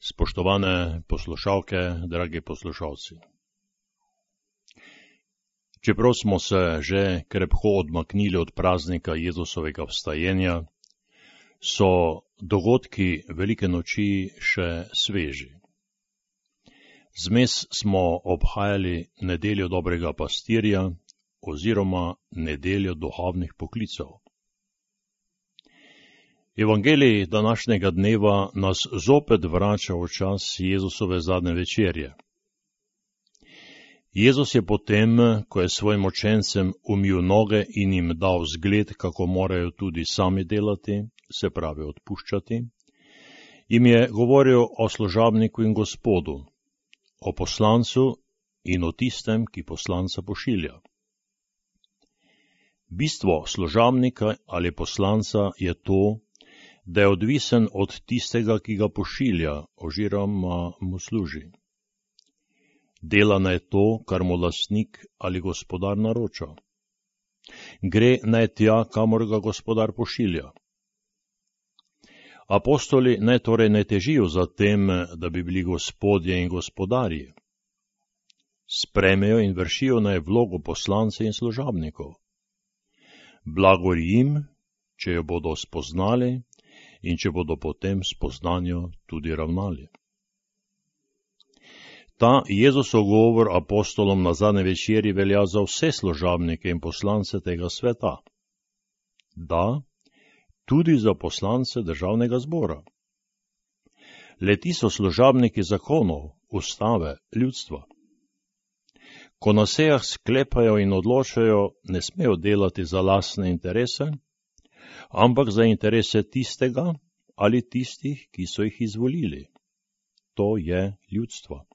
Spoštovane poslušalke, dragi poslušalci. Čeprav smo se že krepko odmaknili od praznika Jezusovega vstajenja, so dogodki velike noči še sveži. Zmes smo obhajali nedeljo dobrega pastirja oziroma nedeljo duhovnih poklicev. Evangelij današnjega dneva nas zopet vrača v čas Jezusove zadnje večerje. Jezus je potem, ko je svojim učencem umil noge in jim dal zgled, kako morajo tudi sami delati, se pravi odpuščati, jim je govoril o služabniku in Gospodu, o poslancu in o tistem, ki poslanca pošilja. Bistvo služabnika ali poslanca je to, da je odvisen od tistega, ki ga pošilja oziroma mu služi. Dela naj to, kar mu lastnik ali gospodar naroča. Gre naj tja, kamor ga gospodar pošilja. Apostoli naj torej ne težijo za tem, da bi bili gospodje in gospodarji. Spremejo in vršijo naj vlogo poslance in služabnikov. Blagor jim, če jo bodo spoznali in če bodo po tem spoznanju tudi ravnali. Ta Jezusov govor apostolom na zadnji večeri velja za vse služabnike in poslance tega sveta. Da, tudi za poslance državnega zbora. Le-ti so služabniki zakonov, ustave, ljudstva. Ko na sejah sklepajo in odločajo, ne smejo delati za lastne interese, ampak za interese tistega ali tistih, ki so jih izvolili. To je ljudstvo.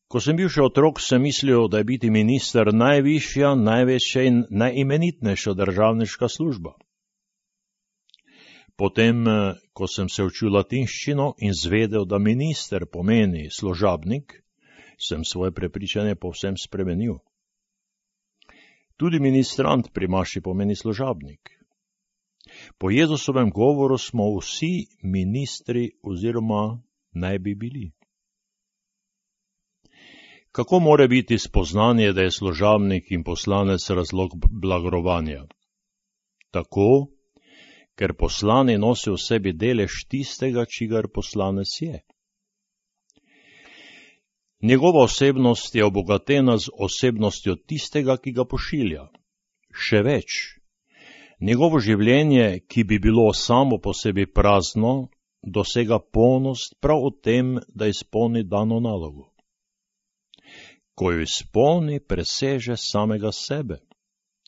Ko sem bil še otrok, sem mislil, da je biti minister najvišja, največja in najimenitnejša državniška služba. Potem, ko sem se učil latinščino in zvedel, da minister pomeni služabnik, sem svoje prepričanje povsem spremenil. Tudi ministrant pri maši pomeni služabnik. Po Jezusovem govoru smo vsi ministri oziroma naj bi bili. Kako more biti spoznanje, da je služabnik in poslanec razlog blagorovanja? Tako, ker poslani nosi v sebi delež tistega, čigar poslanec je. Njegova osebnost je obogatena z osebnostjo tistega, ki ga pošilja. Še več, njegovo življenje, ki bi bilo samo po sebi prazno, dosega polnost prav v tem, da izpolni dano nalogo. Ko jo izpolni, preseže samega sebe.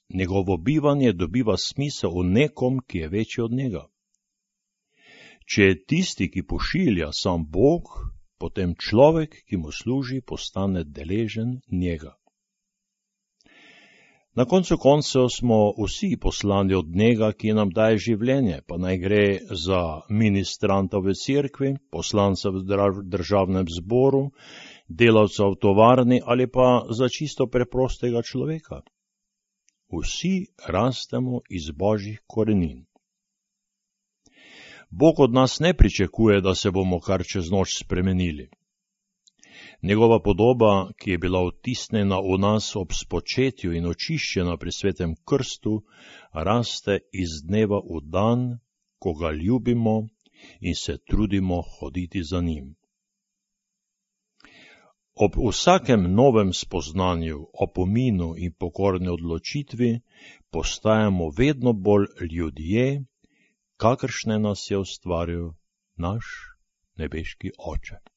Njegovo bivanje dobiva smisel v nekom, ki je večji od njega. Če je tisti, ki pošilja, sam Bog, potem človek, ki mu služi, postane deležen njega. Na koncu koncev smo vsi poslani od njega, ki nam daje življenje, pa naj gre za ministranta v cerkvi, poslanca v državnem zboru, delavca v tovarni ali pa za čisto preprostega človeka. Vsi rastemo iz Božjih korenin. Bog od nas ne pričakuje, da se bomo kar čez noč spremenili. Njegova podoba, ki je bila vtisnjena v nas ob spočetju in očiščena pri svetem krstu, raste iz dneva v dan, ko ga ljubimo in se trudimo hoditi za njim. Ob vsakem novem spoznanju, opominu in pokorni odločitvi postajamo vedno bolj ljudje, kakršne nas je ustvaril naš nebeški Oče.